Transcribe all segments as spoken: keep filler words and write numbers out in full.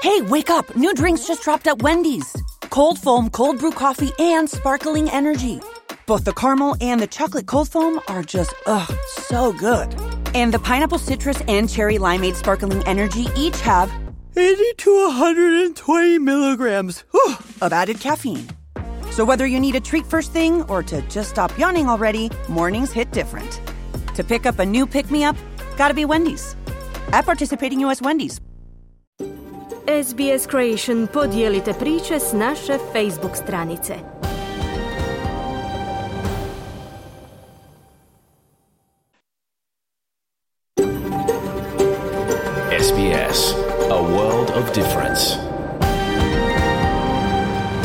Hey, wake up! New drinks just dropped at Wendy's. Cold foam, cold brew coffee, and sparkling energy. Both the caramel and the chocolate cold foam are just, ugh, so good. And the pineapple citrus and cherry limeade sparkling energy each have eighty to one hundred twenty milligrams whew, of added caffeine. So whether you need a treat first thing or to just stop yawning already, mornings hit different. To pick up a new pick-me-up, gotta be Wendy's. At participating U S Wendy's. S B S Creation podijelite priče s naše Facebook stranice. S B S, a world of difference.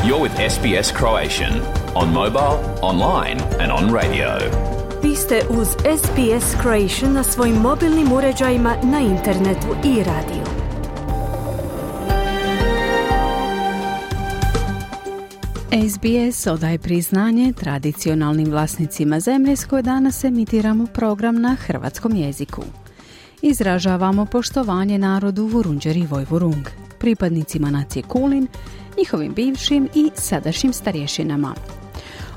You're with S B S Croatian on mobile, online and on radio. Vi ste uz S B S Creation na svojim mobilnim uređajima, na internetu i radiju. S B S odaje priznanje tradicionalnim vlasnicima zemlje s koje danas emitiramo program na hrvatskom jeziku. Izražavamo poštovanje narodu Vurundjer i Vojvurung, pripadnicima nacije Kulin, njihovim bivšim i sadašnjim starješinama.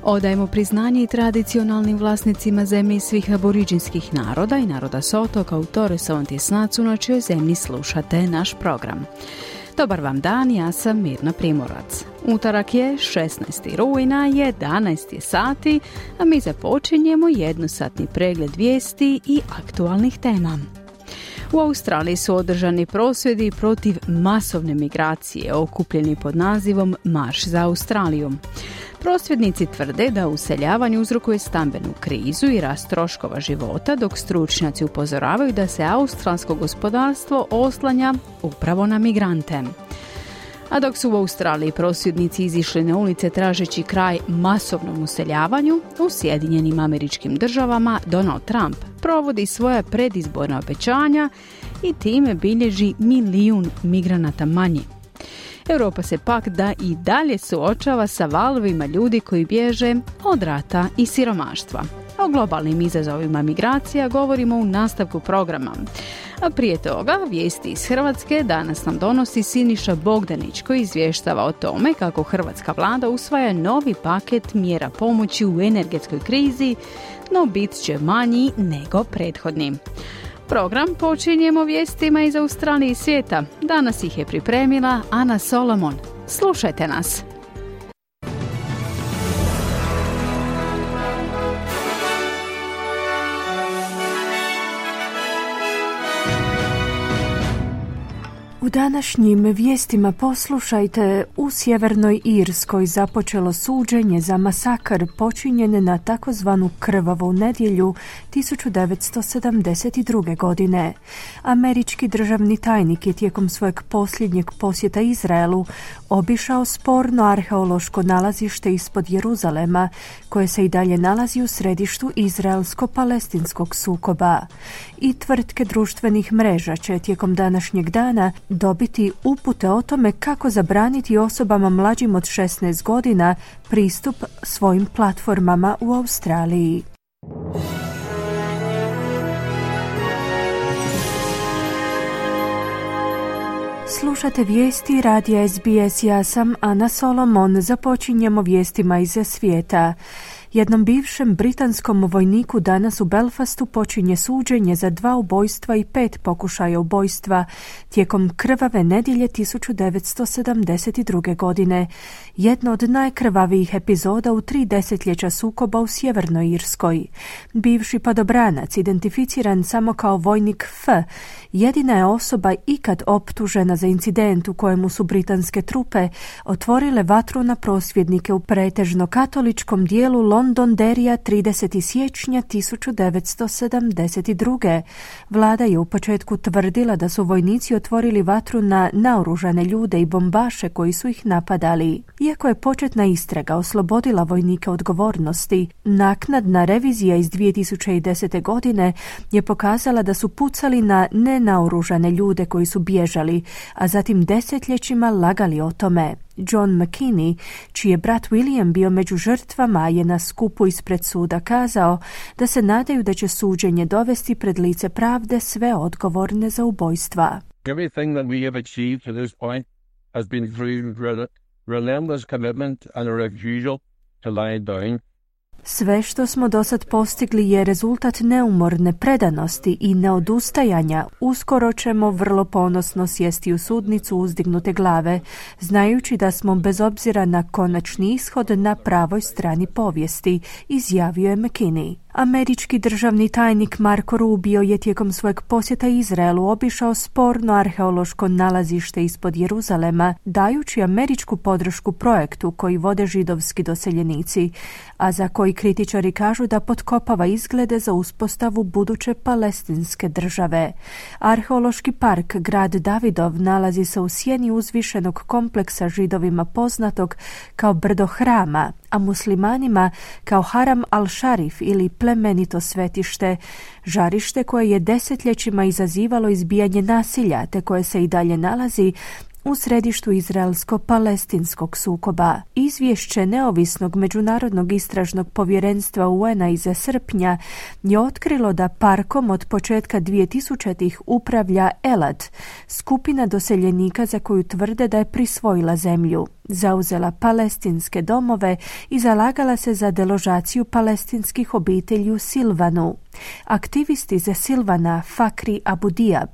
Odajemo priznanje i tradicionalnim vlasnicima zemlje svih aboriđinskih naroda i naroda s otoka u Torres Strait Islandu na čijoj zemlji slušate naš program. Dobar vam dan, ja sam Mirna Primorac. Utorak je šesnaesti rujna, jedanaest je sati, a mi započinjemo jednosatni pregled vijesti i aktualnih tema. U Australiji su održani prosvjedi protiv masovne migracije, okupljeni pod nazivom Marš za Australiju. Prosvjednici tvrde da useljavanje uzrokuje stambenu krizu i rast troškova života, dok stručnjaci upozoravaju da se australsko gospodarstvo oslanja upravo na migrante. A dok su u Australiji prosvjednici izišli na ulice tražeći kraj masovnom useljavanju, u Sjedinjenim Američkim Državama Donald Trump provodi svoja predizborna obećanja i time bilježi milijun migranata manje. Europa se pak da i dalje suočava sa valovima ljudi koji bježe od rata i siromaštva. O globalnim izazovima migracija govorimo u nastavku programa. A prije toga, vijesti iz Hrvatske danas nam donosi Siniša Bogdanić koji izvještava o tome kako hrvatska vlada usvaja novi paket mjera pomoći u energetskoj krizi, no bit će manji nego prethodni. Program počinjemo vijestima iz Australije i svijeta. Danas ih je pripremila Ana Solomon. Slušajte nas! U današnjim vijestima poslušajte, u Sjevernoj Irskoj započelo suđenje za masakr počinjen na takozvanu krvavu nedjelju tisuću devetsto sedamdeset druge. godine. Američki državni tajnik je tijekom svojeg posljednjeg posjeta Izraelu obišao sporno arheološko nalazište ispod Jeruzalema, koje se i dalje nalazi u središtu izraelsko-palestinskog sukoba. I tvrtke društvenih mreža će tijekom današnjeg dana dobiti upute o tome kako zabraniti osobama mlađim od šesnaest godina pristup svojim platformama u Australiji. Slušate vijesti radija S B S, ja sam Ana Solomon. Započinjemo vijestima iz svijeta. Jednom bivšem britanskom vojniku danas u Belfastu počinje suđenje za dva ubojstva i pet pokušaja ubojstva tijekom krvave nedjelje tisuću devetsto sedamdeset druge. godine. Jedna od najkrvavijih epizoda u tri desetljeća sukoba u Sjevernoj Irskoj. Bivši padobranac, identificiran samo kao vojnik F, jedina je osoba ikad optužena za incident u kojemu su britanske trupe otvorile vatru na prosvjednike u pretežno katoličkom dijelu Londonderrya tridesetog siječnja tisuću devetsto sedamdeset druge. Vlada je u početku tvrdila da su vojnici otvorili vatru na naoružane ljude i bombaše koji su ih napadali. Iako je početna istraga oslobodila vojnike odgovornosti, naknadna revizija iz dvije tisuće desete. godine je pokazala da su pucali na nenaoružane ljude koji su bježali, a zatim desetljećima lagali o tome. John McKinney, čiji je brat William bio među žrtvama, je na skupu ispred suda kazao da se nadaju da će suđenje dovesti pred lice pravde sve odgovorne za ubojstva. Everything that we have achieved to this point has been through relentless commitment and a refusal to lie down. Sve što smo do sad postigli je rezultat neumorne predanosti i neodustajanja. Uskoro ćemo vrlo ponosno sjesti u sudnicu uzdignute glave, znajući da smo bez obzira na konačni ishod na pravoj strani povijesti, izjavio je McKinney. Američki državni tajnik Marco Rubio je tijekom svojeg posjeta Izraelu obišao sporno arheološko nalazište ispod Jeruzalema, dajući američku podršku projektu koji vode židovski doseljenici, a za koji kritičari kažu da potkopava izglede za uspostavu buduće palestinske države. Arheološki park Grad Davidov nalazi se u sjeni uzvišenog kompleksa Židovima poznatog kao brdo hrama, a muslimanima kao Haram al-Sharif ili plemenito svetište, žarište koje je desetljećima izazivalo izbijanje nasilja te koje se i dalje nalazi u središtu izraelsko-palestinskog sukoba. Izvješće neovisnog međunarodnog istražnog povjerenstva U N-a iz srpnja je otkrilo da parkom od početka dvjetisućitih upravlja Elad, skupina doseljenika za koju tvrde da je prisvojila zemlju, zauzela palestinske domove i zalagala se za deložaciju palestinskih obitelji u Silvanu. Aktivisti za Silvana Fakri Abu Diab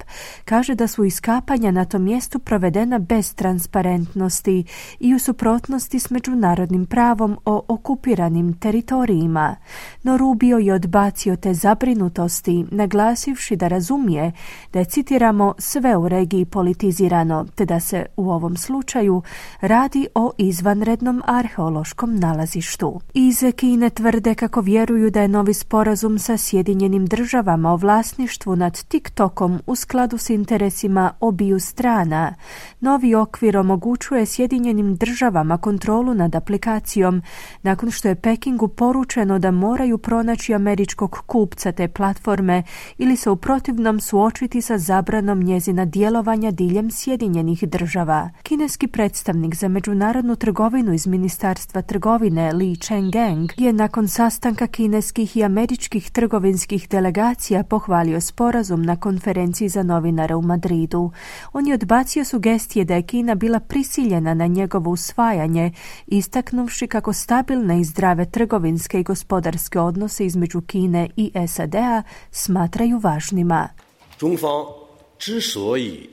kaže da su iskapanja na tom mjestu provedena bez transparentnosti i u suprotnosti s međunarodnim pravom o okupiranim teritorijima. No Rubio je odbacio te zabrinutosti, naglasivši da razumije da je, citiramo, sve u regiji politizirano, te da se u ovom slučaju radi o izvanrednom arheološkom nalazištu. Iz Kine tvrde kako vjeruju da je novi sporazum sa Sjedinjenim državama o vlasništvu nad TikTokom u skladu s interesima obiju strana. Novi okvir omogućuje Sjedinjenim državama kontrolu nad aplikacijom nakon što je Pekingu poručeno da moraju pronaći američkog kupca te platforme ili se u protivnom suočiti sa zabranom njezina djelovanja diljem Sjedinjenih država. Kineski predstavnik za međunarodnu trgovinu iz Ministarstva trgovine Li Chenggang je nakon sastanka kineskih i američkih trgovinskih delegacija pohvalio sporazum na konferenciji za novinare u Madridu. On je odbacio sugestije da je Kina bila prisiljena na njegovo usvajanje, istaknuvši kako stabilne i zdrave trgovinske i gospodarske odnose između Kine i S A D-a smatraju važnima. 中方之所以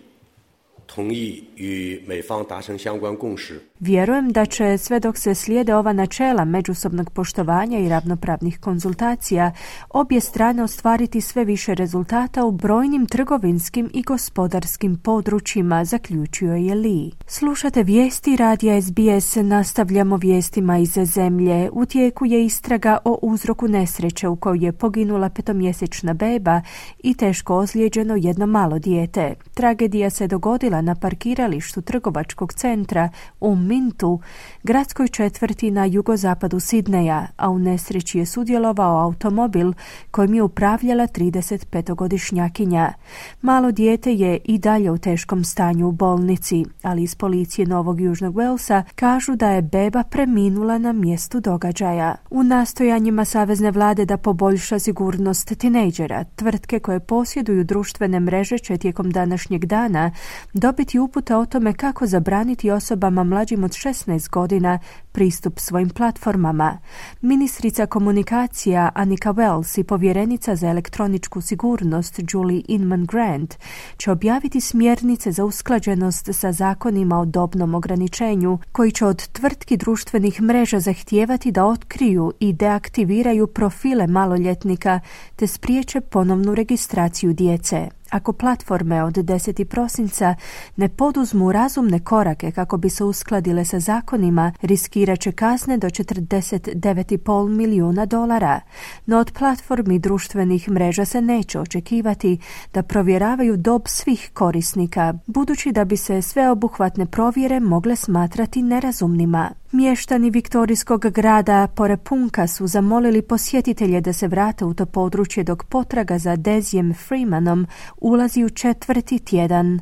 同意与美方达成相关共识 Vjerujem da će sve dok se slijede ova načela međusobnog poštovanja i ravnopravnih konzultacija, obje strane ostvariti sve više rezultata u brojnim trgovinskim i gospodarskim područjima, zaključio je Li. Slušate vijesti radija S B S, nastavljamo vijestima iz zemlje. U tijeku je istraga o uzroku nesreće u kojoj je poginula petomjesečna beba i teško ozlijeđeno jedno malo dijete. Tragedija se dogodila na parkiralištu trgovačkog centra u Mintu, gradskoj četvrti na jugozapadu Sidneja, a u nesreći je sudjelovao automobil kojim je upravljala tridesetpetogodišnjakinja. Malo dijete je i dalje u teškom stanju u bolnici, ali iz policije Novog Južnog Walesa kažu da je beba preminula na mjestu događaja. U nastojanjima savezne vlade da poboljša sigurnost tinejdžera, tvrtke koje posjeduju društvene mreže će tijekom današnjeg dana dobiti upute o tome kako zabraniti osobama mlađim od šesnaest godina pristup svojim platformama. Ministrica komunikacija Annika Wells i povjerenica za elektroničku sigurnost Julie Inman Grant će objaviti smjernice za usklađenost sa zakonima o dobnom ograničenju, koji će od tvrtki društvenih mreža zahtijevati da otkriju i deaktiviraju profile maloljetnika te spriječe ponovnu registraciju djece. Ako platforme od desetog prosinca ne poduzmu razumne korake kako bi se uskladile sa zakonima, riskirat će kazne do četrdeset devet zarez pet milijuna dolara. No od platformi društvenih mreža se neće očekivati da provjeravaju dob svih korisnika, budući da bi se sveobuhvatne provjere mogle smatrati nerazumnima. Mještani viktorijskog grada Porepunka su zamolili posjetitelje da se vrate u to područje dok potraga za Dezijem Freemanom ulazi u četvrti tjedan.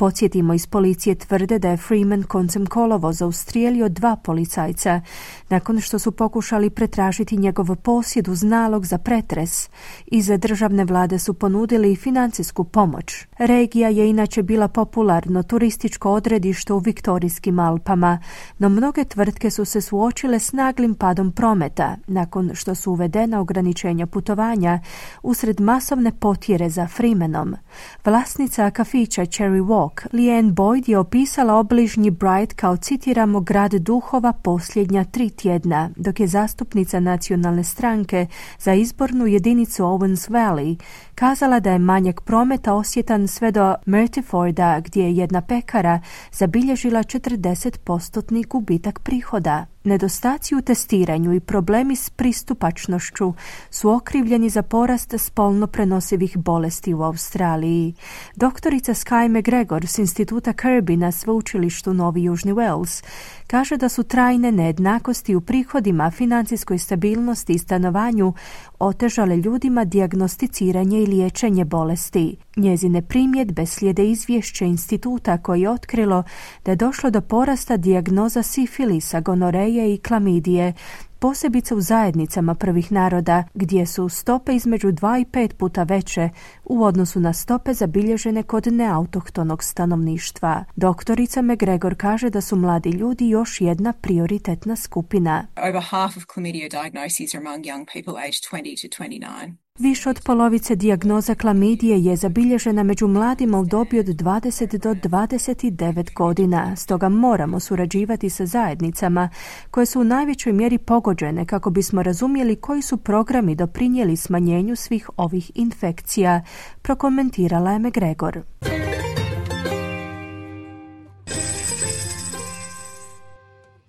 Podsjetimo, iz policije tvrde da je Freeman koncem kolovoza ustrijelio dva policajca nakon što su pokušali pretražiti njegov posjed uz nalog za pretres. Iz državne vlade su ponudili financijsku pomoć. Regija je inače bila popularno turističko odredište u Viktorijskim Alpama, no mnoge tvrtke su se suočile s naglim padom prometa nakon što su uvedena ograničenja putovanja usred masovne potjere za Freemanom. Vlasnica kafića Cherry Walk, Leanne Boyd, je opisala obližnji Bright kao, citiramo, grad duhova posljednja tri tjedna, dok je zastupnica nacionalne stranke za izbornu jedinicu Owens Valley kazala da je manjak prometa osjetan sve do Murtiforda, gdje je jedna pekara zabilježila četrdeset posto gubitak prihoda. Nedostaci u testiranju i problemi s pristupačnošću su okrivljeni za porast spolno prenosivih bolesti u Australiji. Doktorica Sky McGregor s instituta Kirby na sveučilištu Novi Južni Wales kaže da su trajne nejednakosti u prihodima, financijskoj stabilnosti i stanovanju otežale ljudima dijagnosticiranje i liječenje bolesti. Njezine primjedbe slijede izvješće instituta koji je otkrilo da je došlo do porasta dijagnoza sifilisa, gonoreje i klamidije, posebice u zajednicama prvih naroda, gdje su stope između dva i pet puta veće u odnosu na stope zabilježene kod neautohtonog stanovništva. Doktorica McGregor kaže da su mladi ljudi još jedna prioritetna skupina. Over half of chlamydia diagnoses are among young people aged twenty to twenty-nine. Više od polovice dijagnoza klamidije je zabilježena među mladima u dobi od dvadeset do dvadeset devet godina. Stoga moramo surađivati sa zajednicama koje su u najvećoj mjeri pogođene kako bismo razumjeli koji su programi doprinijeli smanjenju svih ovih infekcija, prokomentirala je McGregor.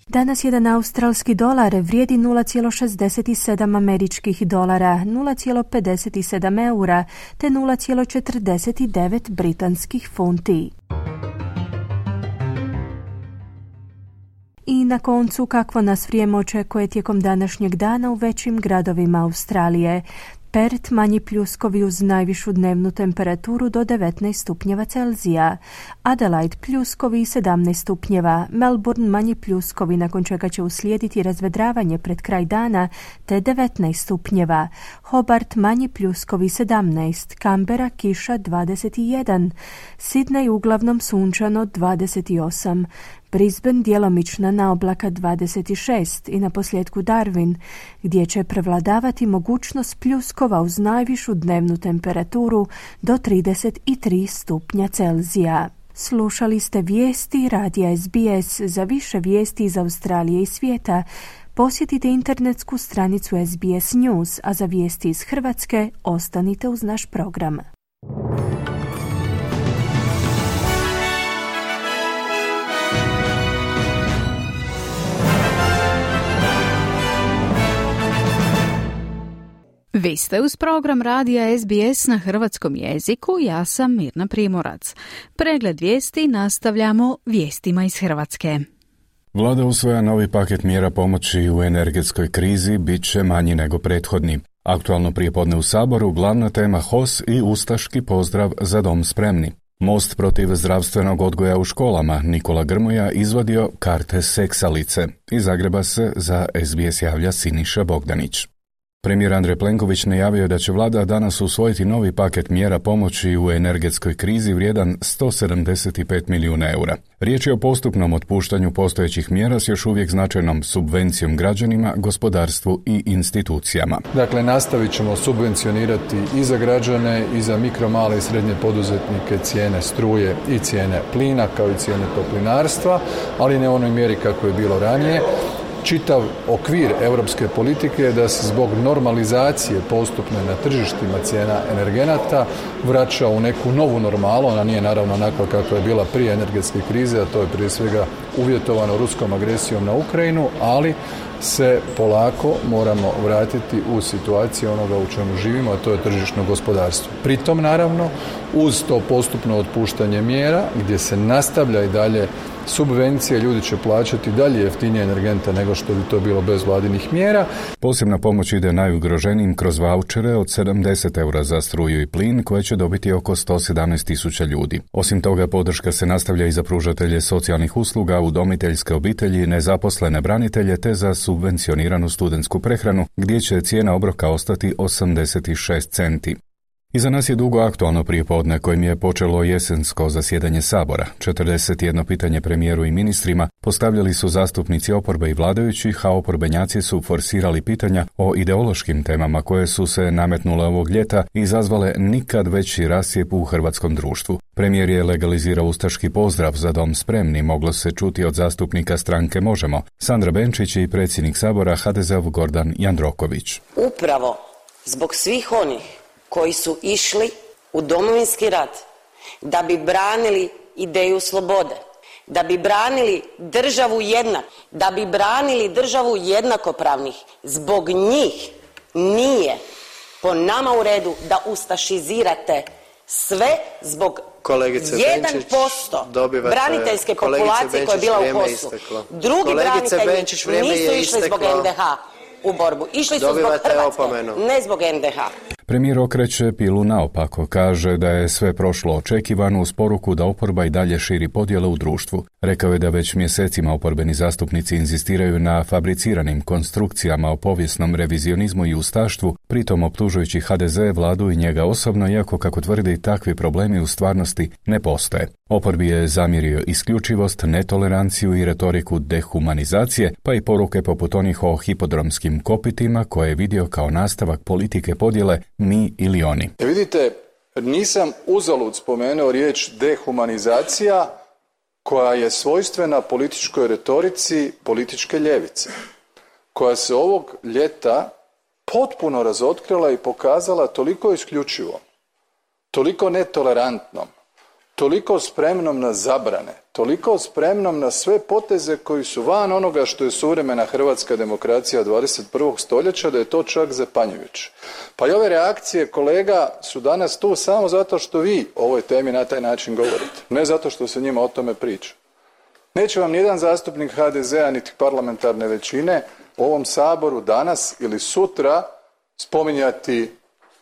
Danas jedan australski dolar vrijedi nula zarez šezdeset sedam američkih dolara, nula zarez pedeset sedam eura te nula zarez četrdeset devet britanskih funti. I na koncu, kakvo nas vrijeme očekuje tijekom današnjeg dana u većim gradovima Australije. Perth manji pljuskovi uz najvišu dnevnu temperaturu do devetnaest stupnjeva Celzija. Adelaide pljuskovi i sedamnaest stupnjeva. Melbourne manji pljuskovi, nakon čega će uslijediti razvedravanje pred kraj dana, te devetnaest stupnjeva. Hobart manji pljuskovi sedamnaest. Canberra kiša dvadeset jedan. Sydney uglavnom sunčano dvadeset osam. Brisbane djelomična naoblaka dvadeset šest i na posljedku Darwin, gdje će prevladavati mogućnost pljuskova uz najvišu dnevnu temperaturu do trideset tri stupnja Celzija. Slušali ste vijesti radija S B S. Za više vijesti iz Australije i svijeta posjetite internetsku stranicu S B S News, a za vijesti iz Hrvatske ostanite uz naš program. Vi ste uz program radija S B S na hrvatskom jeziku, ja sam Mirna Primorac. Pregled vijesti nastavljamo vijestima iz Hrvatske. Vlada usvaja novi paket mjera pomoći u energetskoj krizi, bit će manji nego prethodni. Aktualno prijepodne u Saboru glavna tema H O S i ustaški pozdrav Za dom spremni. Most protiv zdravstvenog odgoja u školama Nikola Grmoja izvadio karte seksalice. Iz Zagreba se za S B S javlja Siniša Bogdanić. Premijer Andrej Plenković najavio da će vlada danas usvojiti novi paket mjera pomoći u energetskoj krizi vrijedan sto sedamdeset pet milijuna eura. Riječ je o postupnom otpuštanju postojećih mjera s još uvijek značajnom subvencijom građanima, gospodarstvu i institucijama. Dakle, nastavit ćemo subvencionirati i za građane i za mikro, male i srednje poduzetnike cijene struje i cijene plina kao i cijene toplinarstva, ali ne u onoj mjeri kako je bilo ranije. Čitav okvir europske politike je da se zbog normalizacije postupne na tržištima cijena energenata vraća u neku novu normalu. Ona nije naravno onakva kakva je bila prije energetske krize, a to je prije svega uvjetovano ruskom agresijom na Ukrajinu, ali se polako moramo vratiti u situaciju onoga u čemu živimo, a to je tržišno gospodarstvo. Pritom, naravno, uz to postupno otpuštanje mjera, gdje se nastavlja i dalje subvencije, ljudi će plaćati dalje jeftinije energente nego što bi to bilo bez vladinih mjera. Posebna pomoć ide najugroženijim kroz vaučere od sedamdeset eura za struju i plin koje će dobiti oko sto sedamnaest tisuća ljudi. Osim toga, podrška se nastavlja i za pružatelje socijalnih usluga, udomiteljske obitelji, nezaposlene branitelje te za subvencioniranu studentsku prehranu gdje će cijena obroka ostati osamdeset šest centi. Iza nas je dugo aktualno prijepodne kojim je počelo jesensko zasjedanje Sabora. četrdeset jedno pitanje premijeru i ministrima postavljali su zastupnici oporbe i vladajućih, a oporbenjaci su forsirali pitanja o ideološkim temama koje su se nametnule ovog ljeta i izazvale nikad veći rascijep u hrvatskom društvu. Premijer je legalizirao ustaški pozdrav Za dom spremni, moglo se čuti od zastupnika stranke Možemo, Sandra Benčić i predsjednik Sabora ha de zeov Gordan Jandroković. Upravo zbog svih onih koji su išli u Domovinski rat da bi branili ideju slobode, da bi branili državu jednak, da bi branili državu jednakopravnih. Zbog njih nije po nama u redu da ustašizirate sve zbog kolegice jedan posto braniteljske populacije koja je bila u poslu. Drugi kolegice branitelji Benčić, nisu išli zbog en de ha u borbu. Išli su Dobivate zbog Hrvatske, opomenu. ne zbog en de ha. Premijer okreće pilu naopako, kaže da je sve prošlo očekivano uz poruku da oporba i dalje širi podjele u društvu. Rekao je da već mjesecima oporbeni zastupnici inzistiraju na fabriciranim konstrukcijama o povijesnom revizionizmu i ustaštvu, pritom optužujući ha de ze, vladu i njega osobno, iako kako tvrdi takvi problemi u stvarnosti ne postoje. Oporbi je zamjerio isključivost, netoleranciju i retoriku dehumanizacije, pa i poruke poput onih o hipodromskim kopitima koje je vidio kao nastavak politike podjele mi ili oni. E vidite, nisam uzalud spomenuo riječ dehumanizacija koja je svojstvena političkoj retorici političke ljevice, koja se ovog ljeta potpuno razotkrila i pokazala toliko isključivo, toliko netolerantnom, toliko spremnom na zabrane, toliko spremnom na sve poteze koji su van onoga što je suvremena hrvatska demokracija dvadeset prvog stoljeća, da je to čak zapanjujuće. Pa i ove reakcije kolega su danas tu samo zato što vi o ovoj temi na taj način govorite, ne zato što se njima o tome priča. Neće vam nijedan zastupnik ha de zea niti parlamentarne većine u ovom Saboru danas ili sutra spominjati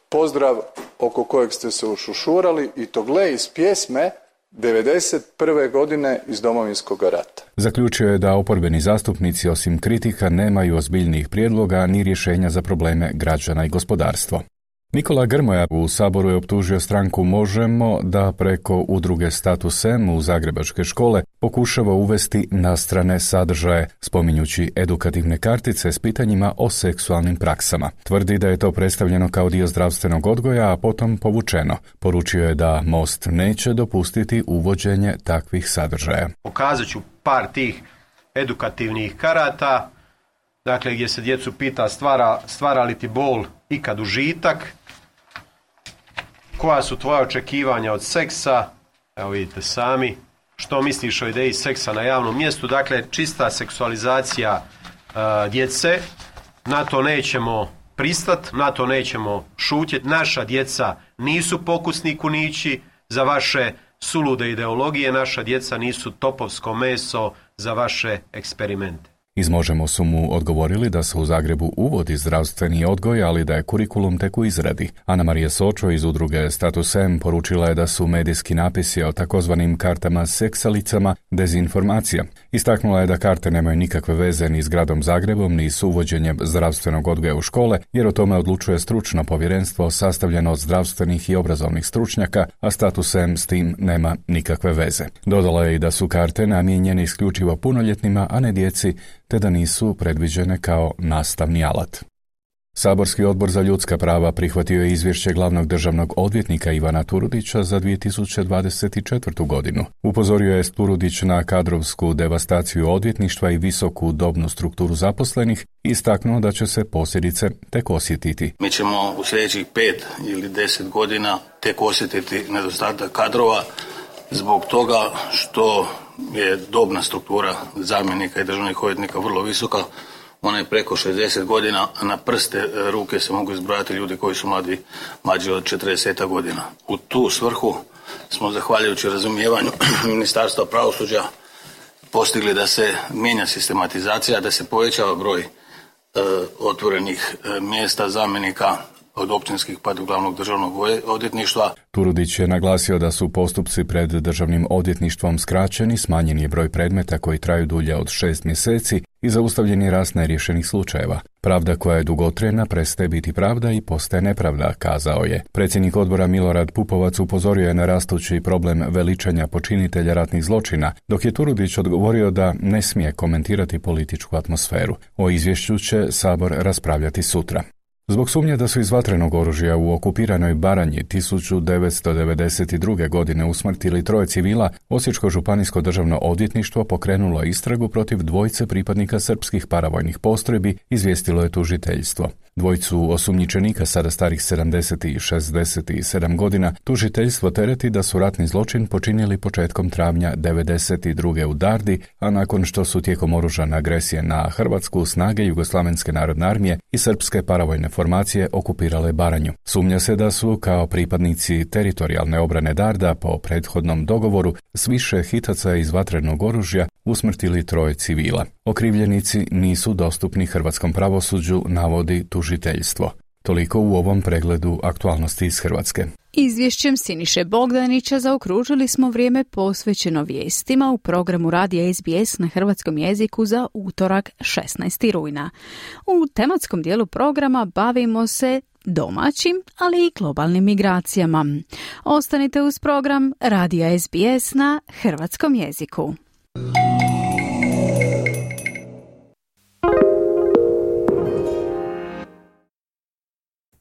pozdrav oko kojeg ste se ušušurali i to gle iz pjesme devedeset prve godine iz Domovinskog rata. Zaključio je da oporbeni zastupnici osim kritika nemaju ozbiljnijih prijedloga ni rješenja za probleme građana i gospodarstvo. Nikola Grmoja u Saboru je optužio stranku Možemo da preko udruge Status em u zagrebačke škole pokušava uvesti nastrane sadržaje, spominjući edukativne kartice s pitanjima o seksualnim praksama. Tvrdi da je to predstavljeno kao dio zdravstvenog odgoja, a potom povučeno. Poručio je da Most neće dopustiti uvođenje takvih sadržaja. Pokazat ću par tih edukativnih karata, dakle gdje se djecu pita stvara, stvara li ti bol ikad užitak, koja su tvoja očekivanja od seksa, evo vidite sami, što misliš o ideji seksa na javnom mjestu, dakle čista seksualizacija uh, djece, na to nećemo pristat, na to nećemo šutjeti, naša djeca nisu pokusni kunići za vaše sulude ideologije, naša djeca nisu topovsko meso za vaše eksperimente. Iz Možemo su mu odgovorili da se u Zagrebu uvodi zdravstveni odgoj, ali da je kurikulum tek u izradi. Ana Marija Sočo iz udruge Status em poručila je da su medijski napisi o takozvanim kartama seksalicama dezinformacija. Istaknula je da karte nemaju nikakve veze ni s gradom Zagrebom, ni s uvođenjem zdravstvenog odgoja u škole, jer o tome odlučuje stručno povjerenstvo sastavljeno od zdravstvenih i obrazovnih stručnjaka, a Status em s tim nema nikakve veze. Dodala je i da su karte namijenjene isključivo punoljetnima, a ne djeci, te da nisu predviđene kao nastavni alat. Saborski odbor za ljudska prava prihvatio je izvješće glavnog državnog odvjetnika Ivana Turudića za dvije tisuće dvadeset četvrtu godinu. Upozorio je Turudić na kadrovsku devastaciju odvjetništva i visoku dobnu strukturu zaposlenih i istaknuo da će se posljedice tek osjetiti. Mi ćemo u sljedećih pet ili deset godina tek osjetiti nedostatak kadrova zbog toga što je dobna struktura zamjenika i državnih odvjetnika vrlo visoka. Ona je preko šezdeset godina, a na prste ruke se mogu izbrojati ljudi koji su mladi, mlađi od četrdeset godina. U tu svrhu smo, zahvaljujući razumijevanju Ministarstva pravosuđa postigli da se mijenja sistematizacija, da se povećava broj e, otvorenih e, mjesta zamjenika od općinskih pa do glavnog državnog odvjetništva. Turudić je naglasio da su postupci pred državnim odvjetništvom skraćeni, smanjen je broj predmeta koji traju dulje od šest mjeseci i zaustavljen je rast neriješenih slučajeva. Pravda koja je dugotrajna prestaje biti pravda i postaje nepravda, kazao je. Predsjednik odbora Milorad Pupovac upozorio je na rastući problem veličanja počinitelja ratnih zločina, dok je Turudić odgovorio da ne smije komentirati političku atmosferu. O izvješću će Sabor raspravljati sutra. Zbog sumnje da su iz vatrenog oružja u okupiranoj Baranji tisuću devetsto devedeset druge. godine usmrtili troje civila, Osječko županijsko državno odvjetništvo pokrenulo istragu protiv dvojice pripadnika srpskih paravojnih postrojbi, izvijestilo je tužiteljstvo. Dvojicu osumnjičenika, sada starih sedamdeset i šezdeset sedam godina, tužiteljstvo tereti da su ratni zločin počinili početkom travnja devedeset druge. u Dardi, a nakon što su tijekom oružane agresije na Hrvatsku snage Jugoslavenske narodne armije i srpske paravojne formacije okupirale Baranju. Sumnja se da su, kao pripadnici teritorijalne obrane Darda, po prethodnom dogovoru s više hitaca iz vatrenog oružja usmrtili troje civila. Okrivljenici nisu dostupni hrvatskom pravosuđu, navodi tužiteljstvo. Toliko u ovom pregledu aktualnosti iz Hrvatske. Izvješćem Siniše Bogdanića zaokružili smo vrijeme posvećeno vijestima u programu Radija S B S na hrvatskom jeziku za utorak šesnaestog rujna. U tematskom dijelu programa bavimo se domaćim, ali i globalnim migracijama. Ostanite uz program Radija S B S na hrvatskom jeziku.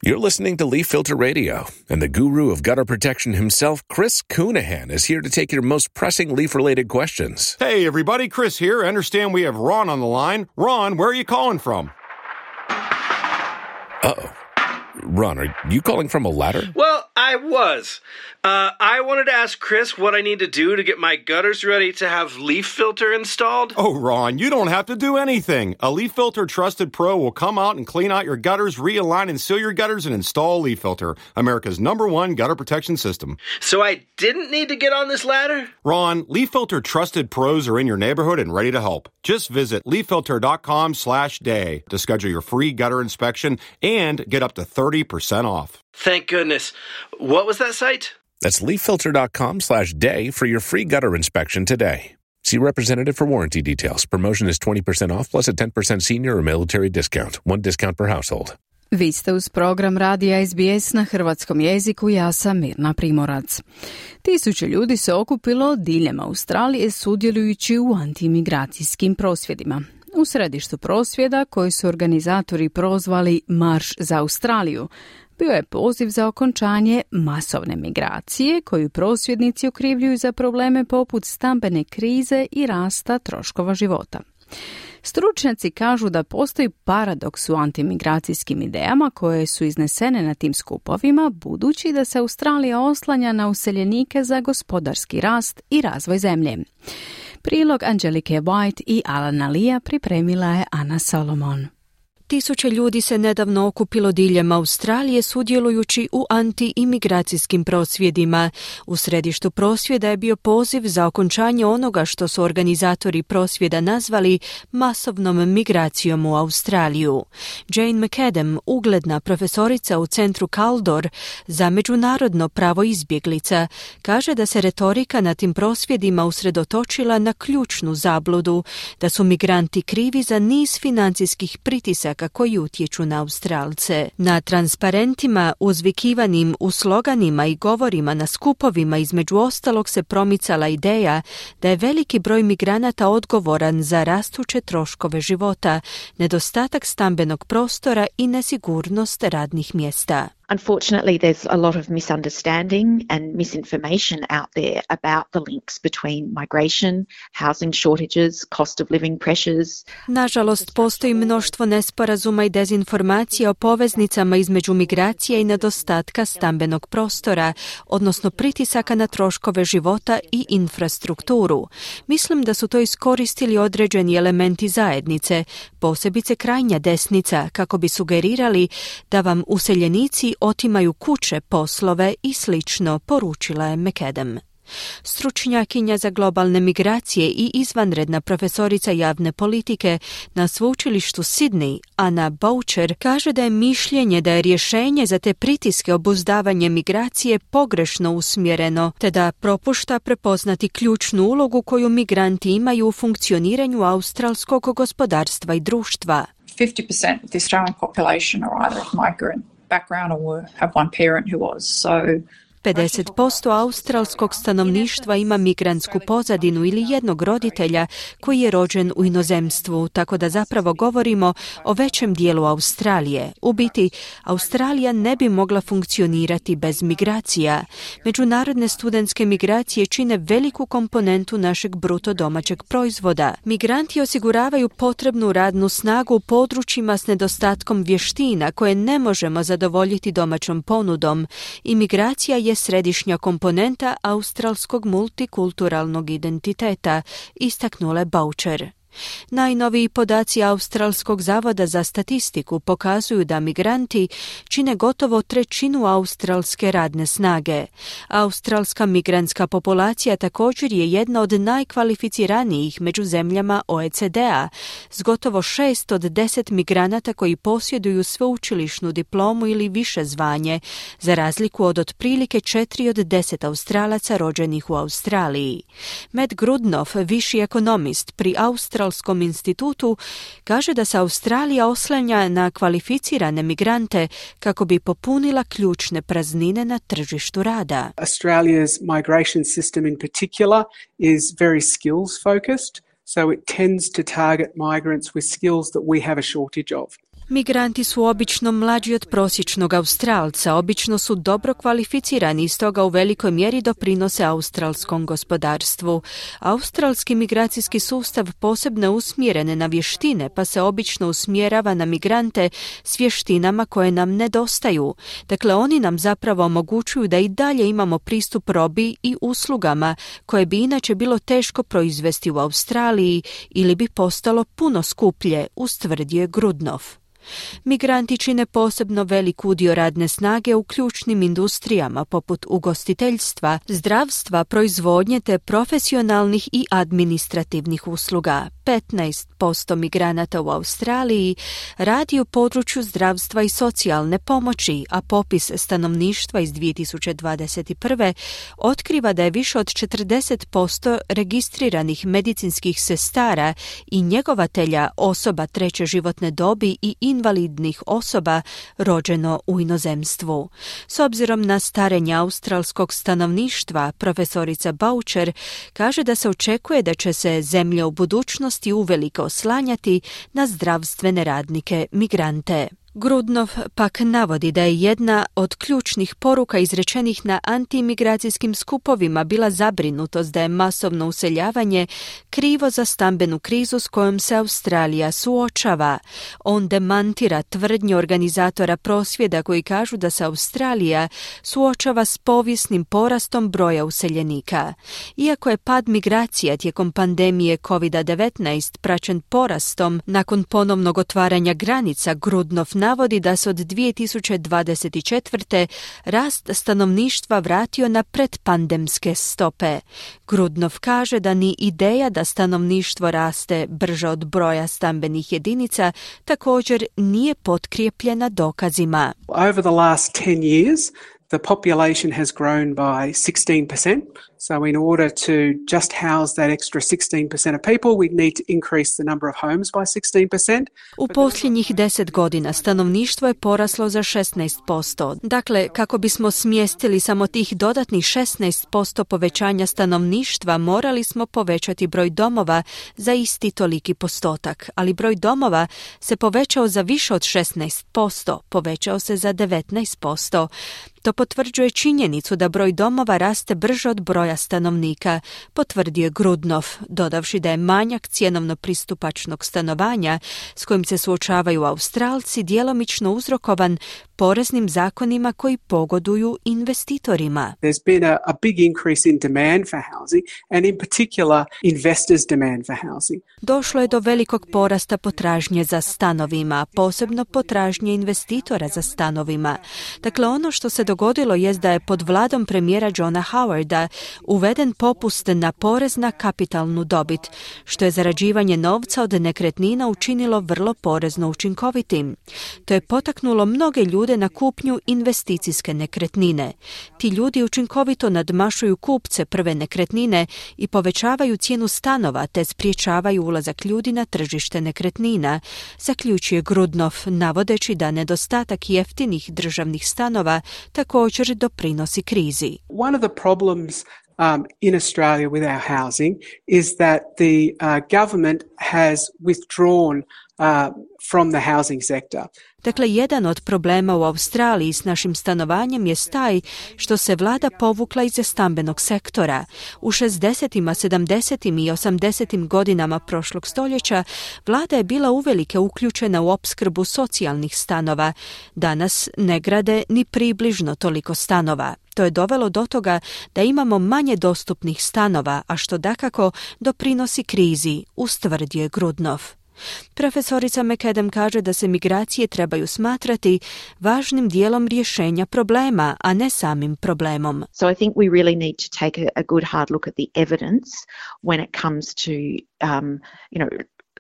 You're listening to Leaf Filter Radio, and the guru of gutter protection himself, Chris Coonahan, is here to take your most pressing leaf-related questions. Hey, everybody, Chris here. I understand we have Ron on the line. Ron, where are you calling from? Uh-oh. Ron, are you calling from a ladder? Well, I was. Uh, I wanted to ask Chris what I need to do to get my gutters ready to have Leaf Filter installed. Oh, Ron, you don't have to do anything. A Leaf Filter Trusted Pro will come out and clean out your gutters, realign and seal your gutters, and install Leaf Filter, America's number one gutter protection system. So I didn't need to get on this ladder? Ron, Leaf Filter Trusted Pros are in your neighborhood and ready to help. Just visit leaffilter.com slash day to schedule your free gutter inspection and get up to thirty percent off. Thank goodness. What was that site? That's leaffilter.com slash day for your free gutter inspection today. See representative for warranty details. Promotion is twenty percent off plus a ten percent senior or military discount. One discount per household. Vi ste uz program Radija S B S na hrvatskom jeziku, ja sam Mirna Primorac. Tisuće ljudi se okupilo diljem Australije sudjelujući u antimigracijskim prosvjedima. U središtu prosvjeda, koji su organizatori prozvali Marš za Australiju, bio je poziv za okončanje masovne migracije, koju prosvjednici okrivljuju za probleme poput stambene krize i rasta troškova života. Stručnjaci kažu da postoji paradoks u antimigracijskim idejama koje su iznesene na tim skupovima, budući da se Australija oslanja na useljenike za gospodarski rast i razvoj zemlje. Prilog Angelike White i Alana Lea pripremila je Ana Solomon. Tisuće ljudi se nedavno okupilo diljem Australije sudjelujući u anti-imigracijskim prosvjedima. U središtu prosvjeda je bio poziv za okončanje onoga što su organizatori prosvjeda nazvali masovnom migracijom u Australiju. Jane McAdam, ugledna profesorica u centru Kaldor za međunarodno pravo izbjeglica, kaže da se retorika na tim prosvjedima usredotočila na ključnu zabludu, da su migranti krivi za niz financijskih pritisaka koji utječu na Australce. Na transparentima uzvikivanim u sloganima i govorima na skupovima između ostalog se promicala ideja da je veliki broj migranata odgovoran za rastuće troškove života, nedostatak stambenog prostora i nesigurnost radnih mjesta. Unfortunately, there's a lot of misunderstanding and misinformation out there about the links between migration, housing shortages, cost of living pressures. Nažalost, postoji mnoštvo nesporazuma i dezinformacija o poveznicama između migracije i nedostatka stambenog prostora, odnosno pritisaka na troškove života i infrastrukturu. Mislim da su to iskoristili određeni elementi zajednice, posebice krajnja desnica, kako bi sugerirali da vam useljenici otimaju kuće, poslove i slično, poručila je McAdam. Stručnjakinja za globalne migracije i izvanredna profesorica javne politike na sveučilištu Sydney, Anna Boucher, kaže da je mišljenje da je rješenje za te pritiske obuzdavanje migracije pogrešno usmjereno, te da propušta prepoznati ključnu ulogu koju migranti imaju u funkcioniranju australskog gospodarstva i društva. fifty percent of the Australian population are either of migrant background or have one parent who was. So pedeset posto australskog stanovništva ima migrantsku pozadinu ili jednog roditelja koji je rođen u inozemstvu, tako da zapravo govorimo o većem dijelu Australije. U biti, Australija ne bi mogla funkcionirati bez migracija. Međunarodne studentske migracije čine veliku komponentu našeg bruto domaćeg proizvoda. Migranti osiguravaju potrebnu radnu snagu u područjima s nedostatkom vještina koje ne možemo zadovoljiti domaćom ponudom. Imigracija je je središnja komponenta australskog multikulturalnog identiteta, istaknula Boucher. Najnoviji podaci Australskog zavoda za statistiku pokazuju da migranti čine gotovo trećinu australske radne snage. Australska migrantska populacija također je jedna od najkvalificiranijih među zemljama O E C D-a, s gotovo šest od deset migranata koji posjeduju sveučilišnu diplomu ili više zvanje, za razliku od otprilike četiri od deset Australaca rođenih u Australiji. Matt Grudnoff, viši ekonomist pri Australskom Australskom institutu, kaže da se Australija oslanja na kvalificirane migrante kako bi popunila ključne praznine na tržištu rada. Australia's migration system in particular is very skills focused, so it tends to target migrants with skills that we have a shortage of. Migranti su obično mlađi od prosječnog Australca, obično su dobro kvalificirani i stoga u velikoj mjeri doprinose australskom gospodarstvu. Australski migracijski sustav posebno je usmjeren na vještine, pa se obično usmjerava na migrante s vještinama koje nam nedostaju. Dakle, oni nam zapravo omogućuju da i dalje imamo pristup robi i uslugama koje bi inače bilo teško proizvesti u Australiji ili bi postalo puno skuplje, ustvrdio je Grudnoff. Migranti čine posebno velik udio radne snage u ključnim industrijama poput ugostiteljstva, zdravstva, proizvodnje te profesionalnih i administrativnih usluga. petnaest posto migranata u Australiji radi u području zdravstva i socijalne pomoći, a popis stanovništva iz dvije tisuće dvadeset prve otkriva da je više od četrdeset posto registriranih medicinskih sestara i njegovatelja osoba treće životne dobi i invalidnih osoba rođeno u inozemstvu. S obzirom na starenje australskog stanovništva, profesorica Boucher kaže da se očekuje da će se zemlje u budućnosti uveliko oslanjati na zdravstvene radnike migrante. Grudnoff pak navodi da je jedna od ključnih poruka izrečenih na antimigracijskim skupovima bila zabrinutost da je masovno useljavanje krivo za stambenu krizu s kojom se Australija suočava. On demantira tvrdnje organizatora prosvjeda koji kažu da se Australija suočava s povijesnim porastom broja useljenika. Iako je pad migracija tijekom pandemije kovid devetnaest praćen porastom nakon ponovnog otvaranja granica, Grudnoff navodi da se od dvije tisuće dvadeset četvrte rast stanovništva vratio na predpandemske stope. Grudnoff kaže da ni ideja da stanovništvo raste brže od broja stambenih jedinica također nije potkrijepljena dokazima. Over the last ten years, the population has grown by sixteen percent. So in order to just house that extra sixteen percent of people, we need to increase the number of homes by sixteen percent. U posljednjih deset godina stanovništvo je poraslo za šesnaest posto. Dakle, kako bismo smjestili samo tih dodatnih šesnaest posto povećanja stanovništva, morali smo povećati broj domova za isti toliki postotak, ali broj domova se povećao za više od šesnaest posto, povećao se za devetnaest posto. To potvrđuje činjenicu da broj domova raste brže od broja stanovnika, potvrdio je Grudnoff, dodavši da je manjak cjenovno pristupačnog stanovanja s kojim se suočavaju Australci djelomično uzrokovan poreznim zakonima koji pogoduju investitorima. There's been a, a big increase in demand for housing and in particular investors' demand for housing. Došlo je do velikog porasta potražnje za stanovima, posebno potražnje investitora za stanovima. Dakle, ono što se dogodilo jest da je pod vladom premijera Johna Howarda uveden popust na porez na kapitalnu dobit, što je zarađivanje novca od nekretnina učinilo vrlo porezno učinkovitim. To je potaknulo mnoge ljude na kupnju investicijske nekretnine. Ti ljudi učinkovito nadmašuju kupce prve nekretnine i povećavaju cijenu stanova te spriječavaju ulazak ljudi na tržište nekretnina, zaključuje Grudnov, navodeći da nedostatak jeftinih državnih stanova također doprinosi krizi. One of the problems um, in Australia with our housing is that the uh, government has withdrawn uh, from the housing sector. Dakle, jedan od problema u Australiji s našim stanovanjem je taj što se vlada povukla iz stambenog sektora. U šezdesetim, sedamdesetim i osamdesetim godinama prošlog stoljeća vlada je bila uvelike uključena u opskrbu socijalnih stanova. Danas ne grade ni približno toliko stanova. To je dovelo do toga da imamo manje dostupnih stanova, a što dakako doprinosi krizi, ustvrdio je Grudnov. Profesorica McAdam kaže da se migracije trebaju smatrati važnim dijelom rješenja problema, a ne samim problemom. So I think we really need to take a, a good hard look at the evidence when it comes to, um, you know,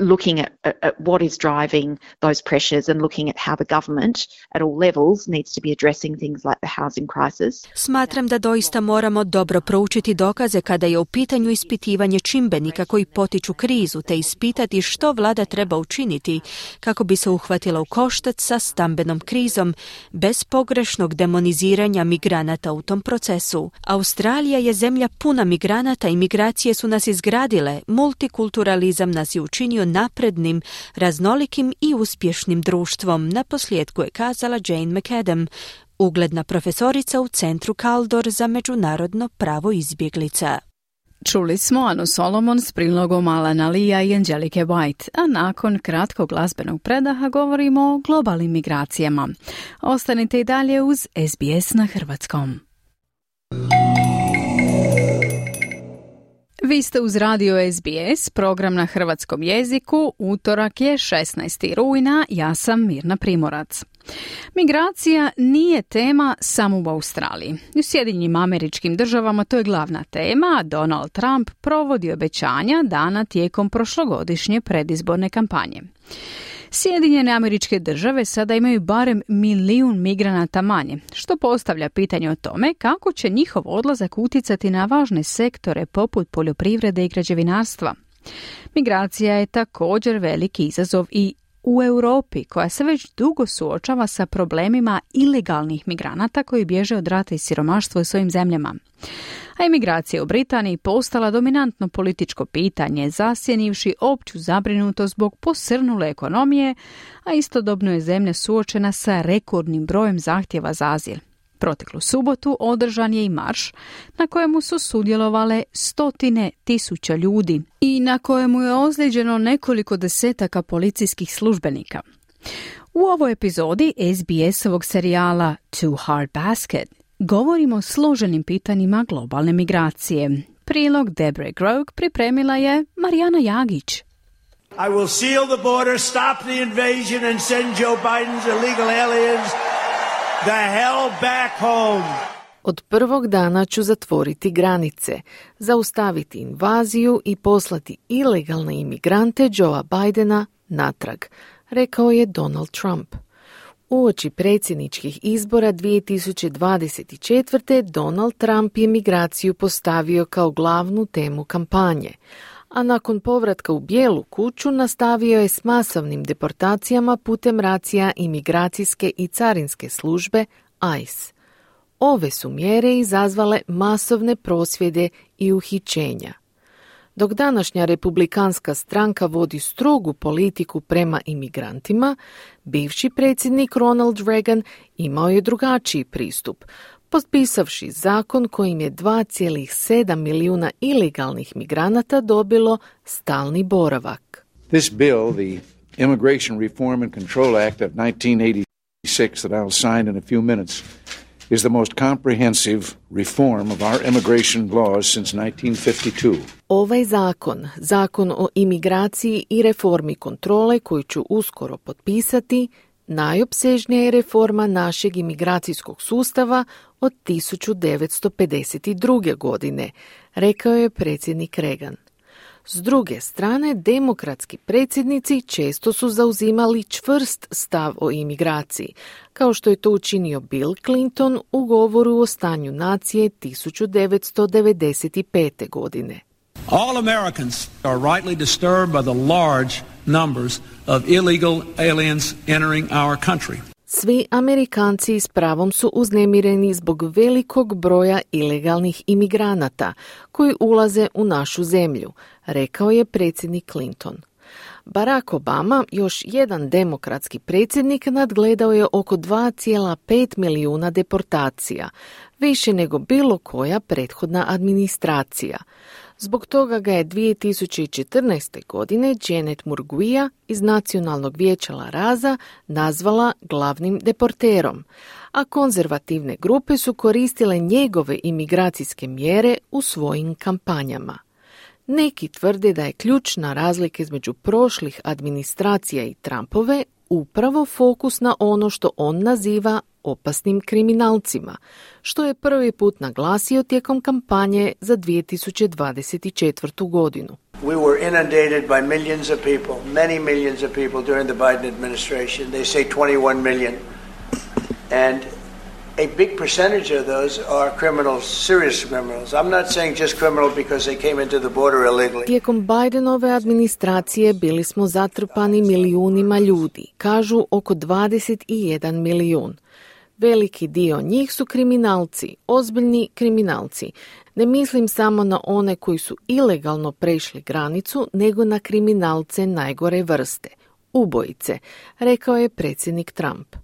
looking at, at what is driving those pressures and looking at how the government at all levels needs to be addressing things like the housing crisis. Smatram da doista moramo dobro proučiti dokaze kada je u pitanju ispitivanje čimbenika koji potiču krizu, te ispitati što vlada treba učiniti kako bi se uhvatila u koštac sa stambenom krizom bez pogrešnog demoniziranja migranata u tom procesu. Australija je zemlja puna migranata i migracije su nas izgradile, multikulturalizam nas je učinio naprednim, raznolikim i uspješnim društvom, naposljetku je kazala Jane McAdam, ugledna profesorica u Centru Kaldor za međunarodno pravo izbjeglica. Čuli smo Anu Solomon s prilogom Alana Lia i Angelike White, a nakon kratkog glazbenog predaha govorimo o globalnim migracijama. Ostanite i dalje uz S B S na hrvatskom. Vi ste uz radio S B S, program na hrvatskom jeziku. Utorak je šesnaestog rujna, ja sam Mirna Primorac. Migracija nije tema samo u Australiji. U Sjedinjenim Američkim Državama to je glavna tema, a Donald Trump provodi obećanja dana tijekom prošlogodišnje predizborne kampanje. Sjedinjene Američke Države sada imaju barem milijun migranata manje, što postavlja pitanje o tome kako će njihov odlazak utjecati na važne sektore poput poljoprivrede i građevinarstva. Migracija je također veliki izazov i u Europi, koja se već dugo suočava sa problemima ilegalnih migranata koji bježe od rata i siromaštva u svojim zemljama. A imigracija u Britaniji postala dominantno političko pitanje, zasjenivši opću zabrinutost zbog posrnule ekonomije, a istodobno je zemlja suočena sa rekordnim brojem zahtjeva za azil. Proteklu subotu održan je i marš na kojemu su sudjelovale stotine tisuća ljudi i na kojemu je ozlijeđeno nekoliko desetaka policijskih službenika. U ovoj epizodi S B S-ovog serijala Too Hard Basket govorimo o složenim pitanjima globalne migracije. Prilog Deborah Grogue pripremila je Marijana Jagić. I will seal the border, stop the invasion and send Joe Biden's illegal aliens the hell back home. Od prvog dana ću zatvoriti granice, zaustaviti invaziju i poslati ilegalne imigrante Joea Bidena natrag, rekao je Donald Trump. Uoči predsjedničkih izbora dvije tisuće dvadeset četvrte. Donald Trump je migraciju postavio kao glavnu temu kampanje, a nakon povratka u Bijelu kuću nastavio je s masovnim deportacijama putem racija imigracijske i carinske službe I C E. Ove su mjere izazvale masovne prosvjede i uhićenja. Dok današnja republikanska stranka vodi strogu politiku prema imigrantima, bivši predsjednik Ronald Reagan imao je drugačiji pristup, potpisavši zakon kojim je dva zarez sedam milijuna ilegalnih migranata dobilo stalni boravak. This bill, the Immigration Reform and Control Act of nineteen eighty-six that I'll sign in a few minutes, is the most comprehensive reform of our immigration laws since nineteen fifty-two. Ovaj zakon, zakon o imigraciji i reformi kontrole koju ću uskoro potpisati, najopsežnija je reforma našeg imigracijskog sustava od tisuću devetsto pedeset druge. godine, rekao je predsjednik Reagan. S druge strane, demokratski predsjednici često su zauzimali čvrst stav o imigraciji, kao što je to učinio Bill Clinton u govoru o stanju nacije tisuću devetsto devedeset pete. godine. All Americans are rightly disturbed by the large numbers of illegal aliens entering our country. Svi Amerikanci s pravom su uznemireni zbog velikog broja ilegalnih imigranata koji ulaze u našu zemlju, rekao je predsjednik Clinton. Barack Obama, još jedan demokratski predsjednik, nadgledao je oko dva zarez pet milijuna deportacija, više nego bilo koja prethodna administracija. Zbog toga ga je dvije tisuće četrnaeste. godine Janet Murguia iz Nacionalnog vijeća La Raza nazvala glavnim deporterom, a konzervativne grupe su koristile njegove imigracijske mjere u svojim kampanjama. Neki tvrde da je ključna razlika između prošlih administracija i Trumpove upravo fokus na ono što on naziva opasnim kriminalcima, što je prvi put naglasio tijekom kampanje za dvije tisuće dvadeset četvrtu. godinu. We were inundated by millions of people, many millions of people during the Biden administration. They say twenty-one million. And a big percentage of those are criminals, serious criminals. I'm not saying just criminal because they came into the border illegally. Tijekom Bidenove administracije bili smo zatrpani milijunima ljudi, kažu oko dvadeset jedan milijun. Veliki dio njih su kriminalci, ozbiljni kriminalci. Ne mislim samo na one koji su ilegalno prešli granicu, nego na kriminalce najgore vrste, ubojice, rekao je predsjednik Trump.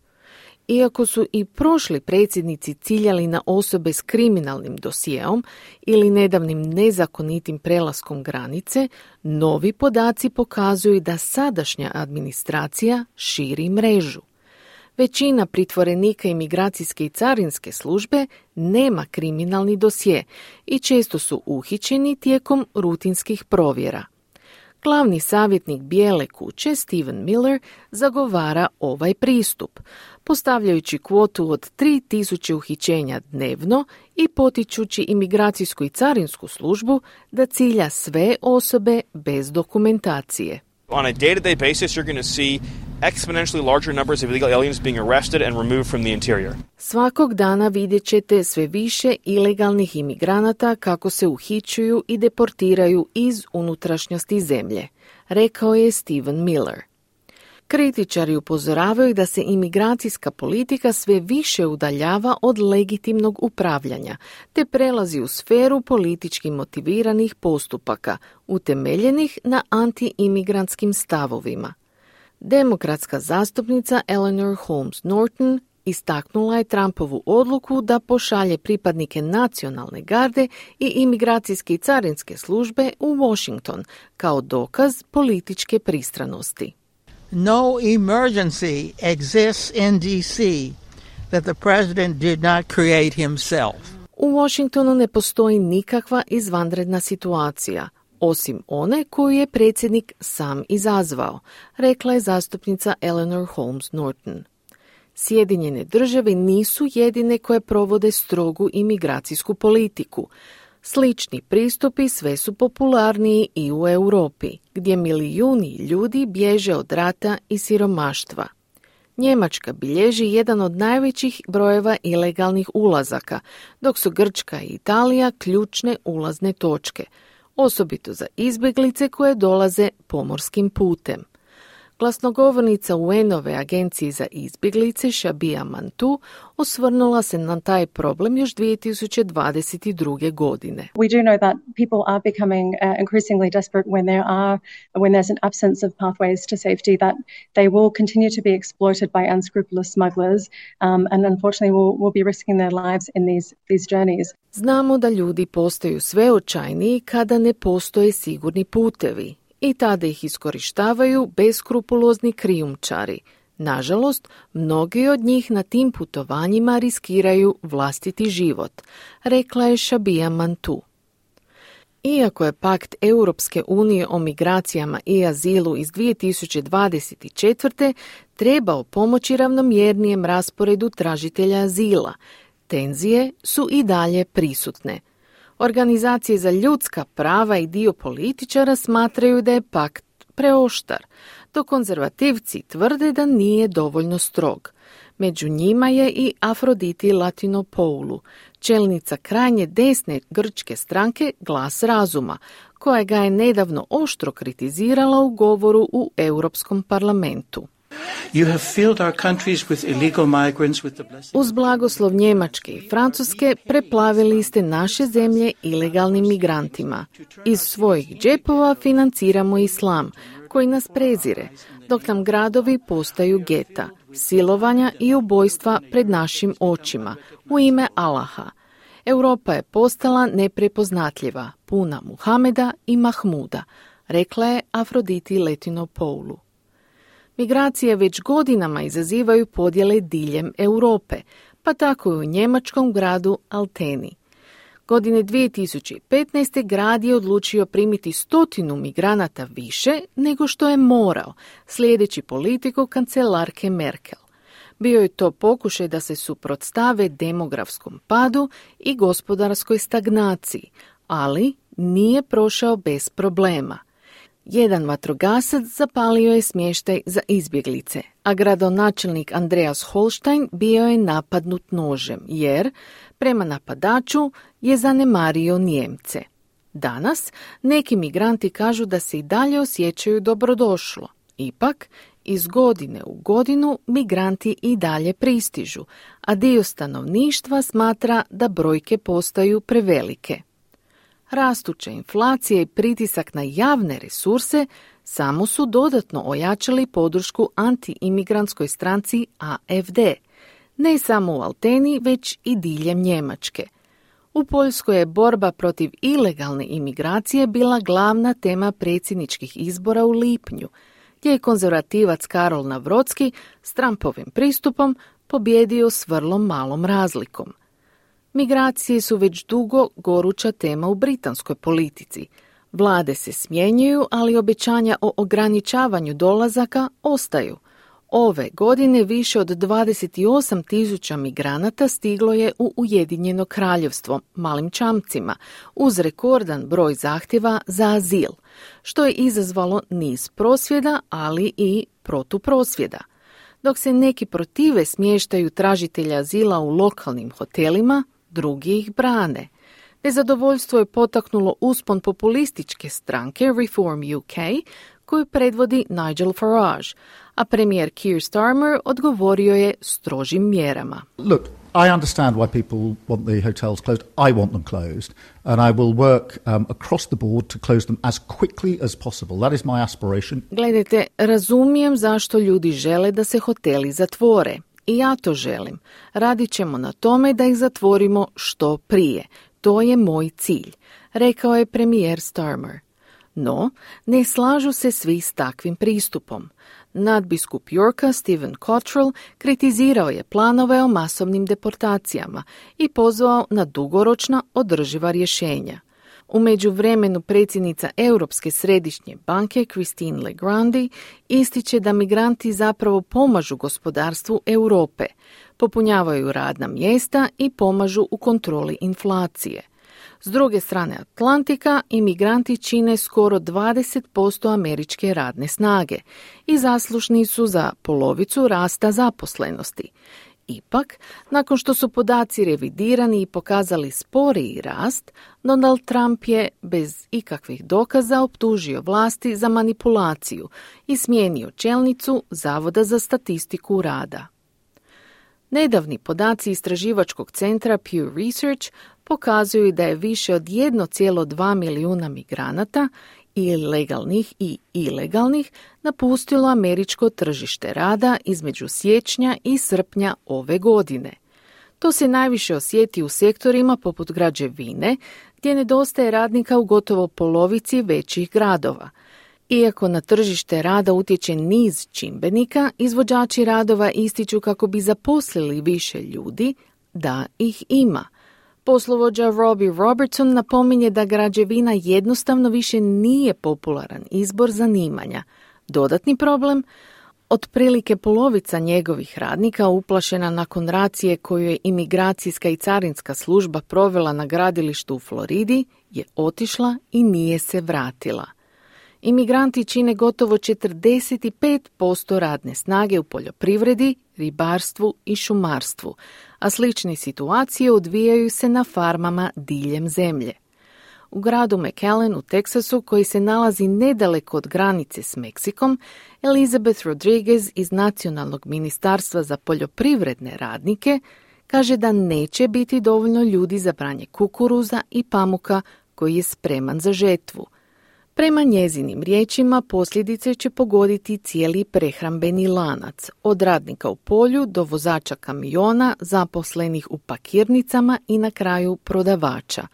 Iako su i prošli predsjednici ciljali na osobe s kriminalnim dosijeom ili nedavnim nezakonitim prelaskom granice, novi podaci pokazuju da sadašnja administracija širi mrežu. Većina pritvorenika imigracijske i carinske službe nema kriminalni dosje i često su uhićeni tijekom rutinskih provjera. Glavni savjetnik Bijele kuće, Stephen Miller, zagovara ovaj pristup, postavljajući kvotu od tri tisuće uhićenja dnevno i potičući imigracijsku i carinsku službu da cilja sve osobe bez dokumentacije. On a day-to-day basis, you're going to see exponentially larger numbers of illegal aliens being arrested and removed from the interior. Svakog dana vidjet ćete sve više ilegalnih imigranata kako se uhićuju i deportiraju iz unutrašnjosti zemlje, rekao je Stephen Miller. Kritičari upozoravaju da se imigracijska politika sve više udaljava od legitimnog upravljanja, te prelazi u sferu politički motiviranih postupaka, utemeljenih na anti-imigrantskim stavovima. Demokratska zastupnica Eleanor Holmes Norton istaknula je Trumpovu odluku da pošalje pripadnike nacionalne garde i imigracijske i carinske službe u Washington kao dokaz političke pristranosti. No emergency exists in D C that the president did not create himself. U Washingtonu ne postoji nikakva izvanredna situacija, osim one koju je predsjednik sam izazvao, rekla je zastupnica Eleanor Holmes Norton. Sjedinjene države nisu jedine koje provode strogu imigracijsku politiku. Slični pristupi sve su popularniji i u Europi, gdje milijuni ljudi bježe od rata i siromaštva. Njemačka bilježi jedan od najvećih brojeva ilegalnih ulazaka, dok su Grčka i Italija ključne ulazne točke, osobito za izbjeglice koje dolaze pomorskim putem. Glasnogovornica U N-ove agencije za izbjeglice Shabia Mantu osvrnula se na taj problem još dvije tisuće dvadeset druge. godine. We do know that people are becoming uh, increasingly desperate when there are when there's an absence of pathways to safety, that they will continue to be exploited by unscrupulous smugglers um, and unfortunately will, will be risking their lives in these these journeys. Znamo da ljudi postaju sve očajniji kada ne postoje sigurni putevi i tada ih iskorištavaju beskrupulozni krijumčari. Nažalost, mnogi od njih na tim putovanjima riskiraju vlastiti život, rekla je Shabia Mantu. Iako je pakt Europske unije o migracijama i azilu iz dvije tisuće dvadeset četvrte trebao pomoći ravnomjernijem rasporedu tražitelja azila, tenzije su i dalje prisutne. Organizacije za ljudska prava i dio političara smatraju da je pakt preoštar, dok konzervativci tvrde da nije dovoljno strog. Među njima je i Afroditi Latinopoulou, čelnica krajnje desne grčke stranke Glas razuma, koja ga je nedavno oštro kritizirala u govoru u Europskom parlamentu. Uz blagoslov Njemačke i Francuske preplavili ste naše zemlje ilegalnim migrantima. Iz svojih džepova financiramo islam, koji nas prezire, dok nam gradovi postaju geta, silovanja i ubojstva pred našim očima, u ime Allaha. Europa je postala neprepoznatljiva, puna Muhameda i Mahmuda, rekla je Afroditi Latinopoulou. Migracije već godinama izazivaju podjele diljem Europe, pa tako i u njemačkom gradu Alteni. Godine dvije tisuće petnaeste. grad je odlučio primiti stotinu migranata više nego što je morao, slijedeći politiku kancelarke Merkel. Bio je to pokušaj da se suprotstave demografskom padu i gospodarskoj stagnaciji, ali nije prošao bez problema. Jedan vatrogasac zapalio je smještaj za izbjeglice, a gradonačelnik Andreas Holstein bio je napadnut nožem, jer, prema napadaču, je zanemario Nijemce. Danas neki migranti kažu da se i dalje osjećaju dobrodošlo. Ipak, iz godine u godinu migranti i dalje pristižu, a dio stanovništva smatra da brojke postaju prevelike. Rastuća inflacija i pritisak na javne resurse samo su dodatno ojačali podršku anti-imigrantskoj stranci A F D, ne samo u Alteni, već i diljem Njemačke. U Poljskoj je borba protiv ilegalne imigracije bila glavna tema predsjedničkih izbora u lipnju, gdje je konzervativac Karol Nawrocki s Trumpovim pristupom pobjedio s vrlo malom razlikom. Migracije su već dugo goruća tema u britanskoj politici. Vlade se smjenjuju, ali obećanja o ograničavanju dolazaka ostaju. Ove godine više od dvadeset osam tisuća migranata stiglo je u Ujedinjeno kraljevstvo malim čamcima, uz rekordan broj zahtjeva za azil, što je izazvalo niz prosvjeda, ali i protuprosvjeda. Dok se neki protive smještaju tražitelja azila u lokalnim hotelima, drugi ih brane. Nezadovoljstvo je potaknulo uspon populističke stranke Reform U K, koju predvodi Nigel Farage, a premijer Keir Starmer odgovorio je strožim mjerama. Look, I understand why people want the hotels closed. I want them closed. And I will work um, across the board to close them as quickly as possible. That is my aspiration. Gledajte, razumijem zašto ljudi žele da se hoteli zatvore. I ja to želim. Radit ćemo na tome da ih zatvorimo što prije. To je moj cilj, rekao je premijer Starmer. No, ne slažu se svi s takvim pristupom. Nadbiskup Yorka Stephen Cottrell kritizirao je planove o masovnim deportacijama i pozvao na dugoročna održiva rješenja. U međuvremenu predsjednica Europske središnje banke Christine Lagarde ističe da migranti zapravo pomažu gospodarstvu Europe, popunjavaju radna mjesta i pomažu u kontroli inflacije. S druge strane Atlantika, imigranti čine skoro dvadeset posto američke radne snage i zaslužni su za polovicu rasta zaposlenosti. Ipak, nakon što su podaci revidirani i pokazali sporiji rast, Donald Trump je bez ikakvih dokaza optužio vlasti za manipulaciju i smijenio čelnicu Zavoda za statistiku rada. Nedavni podaci istraživačkog centra Pew Research pokazuju da je više od jedan zarez dva milijuna migranata, i legalnih i ilegalnih, napustilo američko tržište rada između siječnja i srpnja ove godine. To se najviše osjeti u sektorima poput građevine, gdje nedostaje radnika u gotovo polovici većih gradova. Iako na tržište rada utječe niz čimbenika, izvođači radova ističu kako bi zaposlili više ljudi, da ih ima. Poslovođa Robbie Robertson napominje da građevina jednostavno više nije popularan izbor zanimanja. Dodatni problem? Otprilike polovica njegovih radnika uplašena nakon racije koju je imigracijska i carinska služba provela na gradilištu u Floridi je otišla i nije se vratila. Imigranti čine gotovo četrdeset pet posto radne snage u poljoprivredi, ribarstvu i šumarstvu, a slične situacije odvijaju se na farmama diljem zemlje. U gradu McAllen u Teksasu, koji se nalazi nedaleko od granice s Meksikom, Elizabeth Rodriguez iz Nacionalnog ministarstva za poljoprivredne radnike kaže da neće biti dovoljno ljudi za branje kukuruza i pamuka koji je spreman za žetvu. Prema njezinim riječima posljedice će pogoditi cijeli prehrambeni lanac, od radnika u polju do vozača kamiona, zaposlenih u pakirnicama i na kraju prodavača.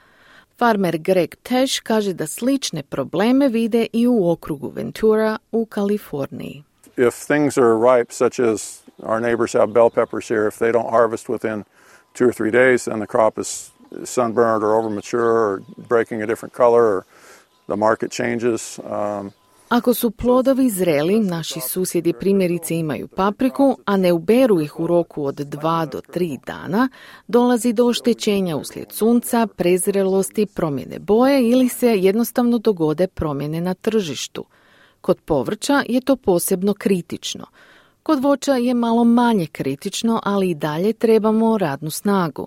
Farmer Greg Tesh kaže da slične probleme vide i u okrugu Ventura u Kaliforniji. If things are ripe, such as our neighbors have bell peppers here, if they don't harvest within two or three days, then the crop is sunburned or overmature or breaking a different color or the market changes. Um, Ako su plodovi zreli, naši susjedi primjerice imaju papriku, a ne uberu ih u roku od dva do tri dana, dolazi do oštećenja uslijed sunca, prezrelosti, promjene boje ili se jednostavno dogode promjene na tržištu. Kod povrća je to posebno kritično. Kod voća je malo manje kritično, ali i dalje trebamo radnu snagu.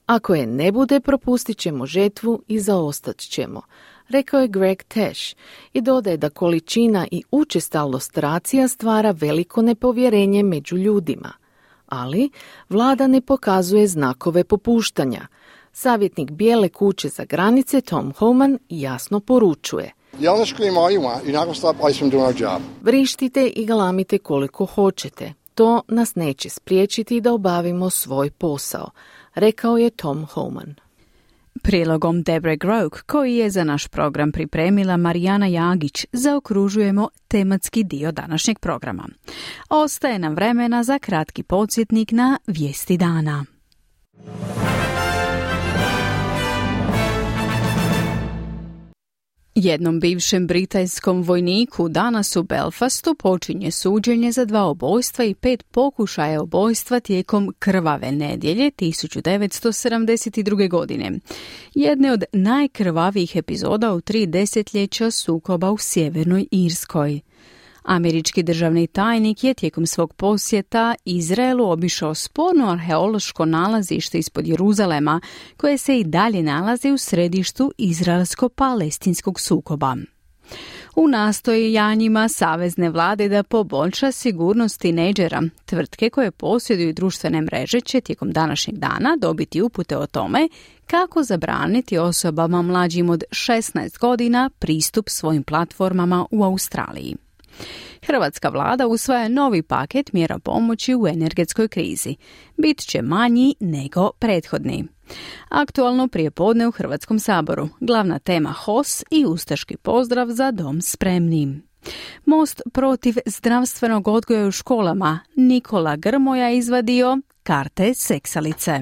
Ako je ne bude, propustit ćemo žetvu i zaostat ćemo, rekao je Greg Tesh i dodaje da količina i učestalost racija stvara veliko nepovjerenje među ljudima. Ali vlada ne pokazuje znakove popuštanja. Savjetnik Bijele kuće za granice Tom Homan jasno poručuje: vrištite i galamite koliko hoćete. To nas neće spriječiti da obavimo svoj posao, rekao je Tom Homan. Prilogom Debre Grouk, koji je za naš program pripremila Marijana Jagić, zaokružujemo tematski dio današnjeg programa. Ostaje nam vremena za kratki podsjetnik na vijesti dana. Jednom bivšem britanskom vojniku danas u Belfastu počinje suđenje za dva ubojstva i pet pokušaja ubojstva tijekom krvave nedjelje tisuću devetsto sedamdeset druge. godine. Jedne od najkrvavijih epizoda u tri desetljeća sukoba u Sjevernoj Irskoj. Američki državni tajnik je tijekom svog posjeta Izraelu obišao sporno arheološko nalazište ispod Jeruzalema, koje se i dalje nalazi u središtu izraelsko-palestinskog sukoba. U nastojanjima savezne vlade da poboljša sigurnost tinejdžera, tvrtke koje posjeduju društvene mreže će tijekom današnjeg dana dobiti upute o tome kako zabraniti osobama mlađim od šesnaest godina pristup svojim platformama u Australiji. Hrvatska vlada usvaja novi paket mjera pomoći u energetskoj krizi. Bit će manji nego prethodni. Aktualno prijepodne u Hrvatskom saboru. Glavna tema H O S i ustaški pozdrav za dom spremni. Most protiv zdravstvenog odgoja u školama. Nikola Grmoja izvadio karte seksalice.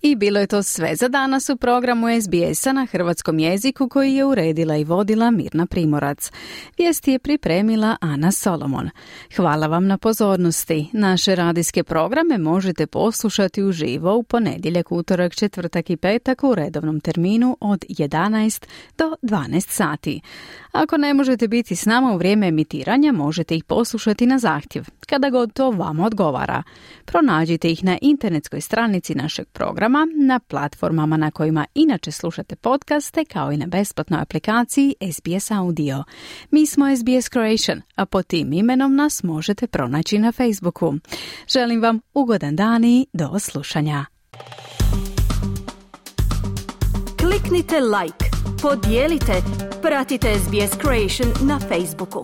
I bilo je to sve za danas u programu S B S-a na hrvatskom jeziku koji je uredila i vodila Mirna Primorac. Vijesti je pripremila Ana Solomon. Hvala vam na pozornosti. Naše radijske programe možete poslušati uživo u ponedjeljak, utorak, četvrtak i petak u redovnom terminu od jedanaest do dvanaest sati. Ako ne možete biti s nama u vrijeme emitiranja, možete ih poslušati na zahtjev, kada god to vama odgovara. Pronađite ih na internetskoj stranici našeg programa, na platformama na kojima inače slušate podcaste, kao i na besplatnoj aplikaciji S B S Audio. Mi smo S B S Croatian, a pod tim imenom nas možete pronaći na Facebooku. Želim vam ugodan dan i do slušanja. Kliknite like, podijelite, pratite S B S Croatian na Facebooku.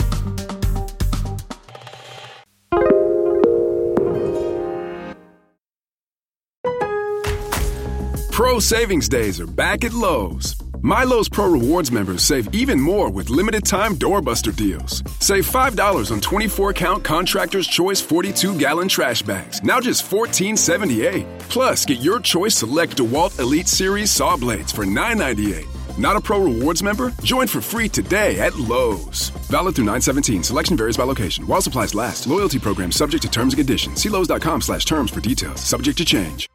Pro Savings Days are back at Lowe's. Milo's Pro Rewards members save even more with limited-time doorbuster deals. Save five dollars on twenty-four count Contractor's Choice forty-two gallon trash bags, now just fourteen seventy-eight. Plus, get your choice select DeWalt Elite Series saw blades for nine ninety-eight. Not a Pro Rewards member? Join for free today at Lowe's. Valid through nine seventeen. Selection varies by location. While supplies last. Loyalty program subject to terms and conditions. See Lowe's dot com slash terms for details. Subject to change.